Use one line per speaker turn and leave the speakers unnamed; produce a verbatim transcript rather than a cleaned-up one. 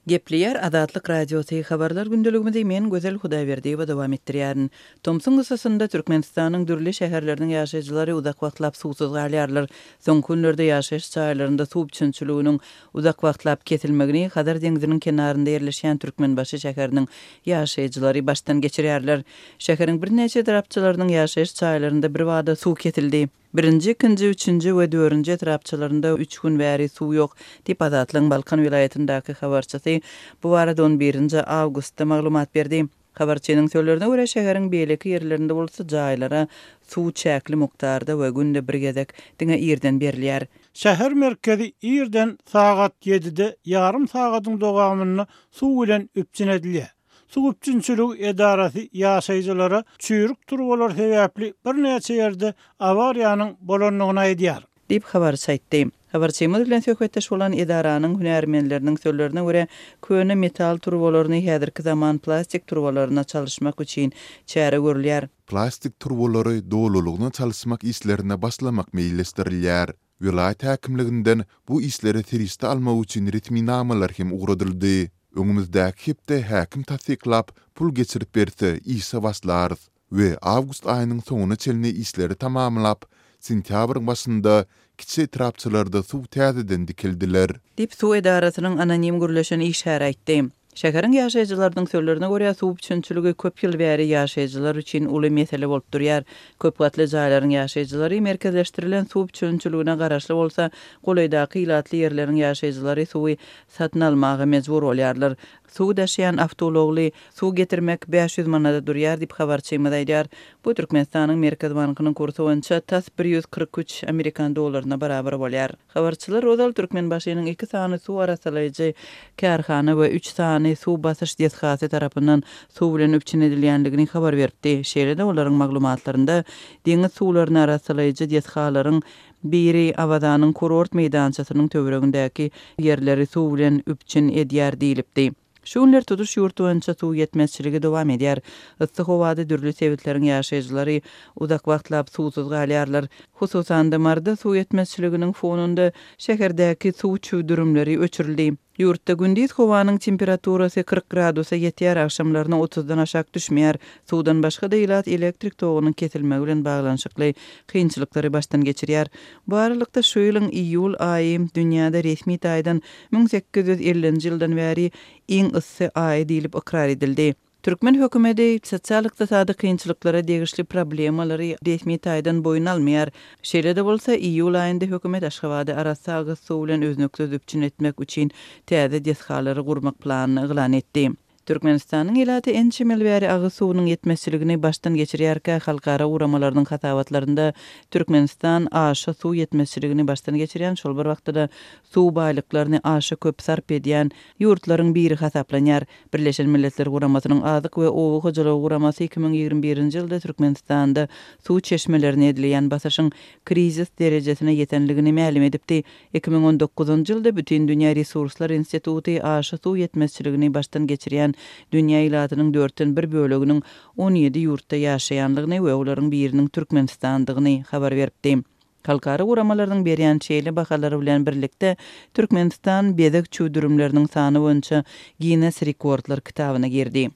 Gepleýär Azatlyk Radiosy, Habarlar gündeligimizi men Gözel Hudaýberdiýewa dowam etdirýärin. Tomsuň yssysynda Türkmenistanyň dürli şäherleriniň ýaşaýjylary uzak wagtlap suwsuz galýarlar. Soňky günlerde ýaşaýyş jaýlarynda suw üpjünçiliginiň uzak wagtlap kesilmegini Hazar deňziniň kenarynda ýerleşýän Türkmenbaşy şäheriniň ýaşaýjylary başdan geçirýärler. Şäheriň birnäçe etrapçalarynyň ýaşaýyş jaýlarynda birbada suw kesildi. Birinji, ikinji, üçünji we dördünji etrapçalarynda üç gün bäri suw ýok, diýip, Azatlygyň Balkan welaýatyndaky habarçysy bu barada on birinji awgustda maglumat berdi. Habarçynyň sözlerine görä, şäheriň beýleki ýerlerinde bolsa jaýlara suw çäkli mukdarda we günde bir gezek, diňe irden berilýär.
Şäher merkezi irden sagat ýedide ýarym sagadyň dowamynda suw bilen üpjün edilýär. Suw üpjünçiligi edarasy ýaşaýjylara çüýrük turbalar sebäpli birnäçe ýerde awariýanyň bolandygyny aýdýar.
Diýip, habarçy aýtdy. Habarçymyz bilen söhbetdeş bolan edaranyň hünärmenleriniň sözlerine görä, köne metal turbalaryny häzirki zaman plastik turbalaryna çalyşmak üçin çäre görülýär.
Plastik turbalary dolulygyna çalyşmak işlerine başlamak meýilleşdirilýär. Welaýat häkimliginden bu işlere serişde almak üçin resminamalar hem ugradyldy. Öňümizdäki hepde häkim tassyklap, pul geçirip berse, işe başlarys we awgust aýynyň soňuna çenli işleri tamamlap, sentýabryň başynda kiçi etrapçalarda suw täzeden dikeldiler.
Diýip, suw edarasynyň anonim gürleşen işgäri aýtdy. Şäheriň ýaşaýjylarynyň sözlerine görä, suw üpjünçiligi köp ýyl bäri ýaşaýjylar üçin uly mesele bolup durýar. Köp gatly jaýlaryň ýaşaýjylary merkezleşdirilen suw üpjünçiligine garaşly bolsa, golaýdaky ilatly ýerleriň ýaşaýjylary suwy satyn almaga mejbur bolýarlar. Suw daşaýan awtoulagly suw getirmek bäş ýüz manada durýar diýip, habarçymyz aýdýar. Bu Türkmenistanyň Merkezi bankynyň kursy boýunça tas bir ýüz kyrk üç amerikan dollaryna barabar bolýar. Habarçylar ozal Türkmenbaşynyň iki sany suw arassalaýjy kärhana we üç sany suw basyş desgasy tarapyndan suw bilen üpjün edilýändigini habar beripdi. Şeýle-de olaryň maglumatlarynda deňiz suwlaryny arassalaýjy desgalaryň biri Awazanyň kurort meýdançasynyň töweregindäki ýerleri suw bilen üpjün edýär diýlipdi. Şu günler tutuş ýurt boýunça suw ýetmezçiligi dowam edýär. Yssy howada dürli sebitleriň ýaşaýjylary uzak wagtlap suwsuz galýarlar. Hususan-da, Maryda suw ýetmezçiliginiň fonunda şäherdäki suw çüwdürimleri öçürildi. Ýurtda gündiz howanyň temperaturasy kyrk gradusa ýetýär, agşamlaryna otuzdan aşak düşmeýär. Suwdan başga-da ilat elektrik togunyň kesilmegi bilen baglanyşykly kynçylyklary başdan geçirýär. Bu aralykda şu ýylyň iýul aýy dünýäde resmi taýdan müň sekiz ýüz ellinji ýyldan bäri iň yssy aýy diýlip ykrar edildi. Türkmen hökümeti sosial-ykdysady kynçylyklara degişli problemalary resmi taýdan boýun almaýar. Şeýle-de bolsa, iýul aýynda hökümet Aşgabady arassa agyz suw bilen üznüksiz üpjün etmek üçin täze desgalary gurmak planyny yglan etdi. Türkmenistanyň ilaty ençeme ýyl bäri agyz suwunyň ýetmezçiligini başdan geçirýärkä, halkara guramalarynyň hasabatlarynda Türkmenistan aşa suw ýetmezçiligini başdan geçirýän, şol bir wagtda-da suw baýlyklaryny aşa köp sarp edýän ýurtlaryň biri hasaplanýar. Birleşen Milletler Guramasynyň Azyk we oba hojalygy guramasy iki müň ýigrimi birinji ýylda Türkmenistanda suw çeşmelerine edilýän basyşyň krizis derejesine ýetenligini mälim edipdi. Iki müň on dokuzynjy ýylda Bütindünýä resurslar instituty aşa suw ýetmezçiligini başdan geçirýän dünýä ilatynyň dörtden bir böleginiň on ýedi ýurtda ýaşaýanlygyny we olaryň biriniň Türkmenistandygyny habar beripdi. Halkara guramalarynyň berýän şeýle bahalary bilen birlikde Türkmenistan bezeg çüwdürimleriniň sany boýunça Ginnes rekordlar kitabyna girdi.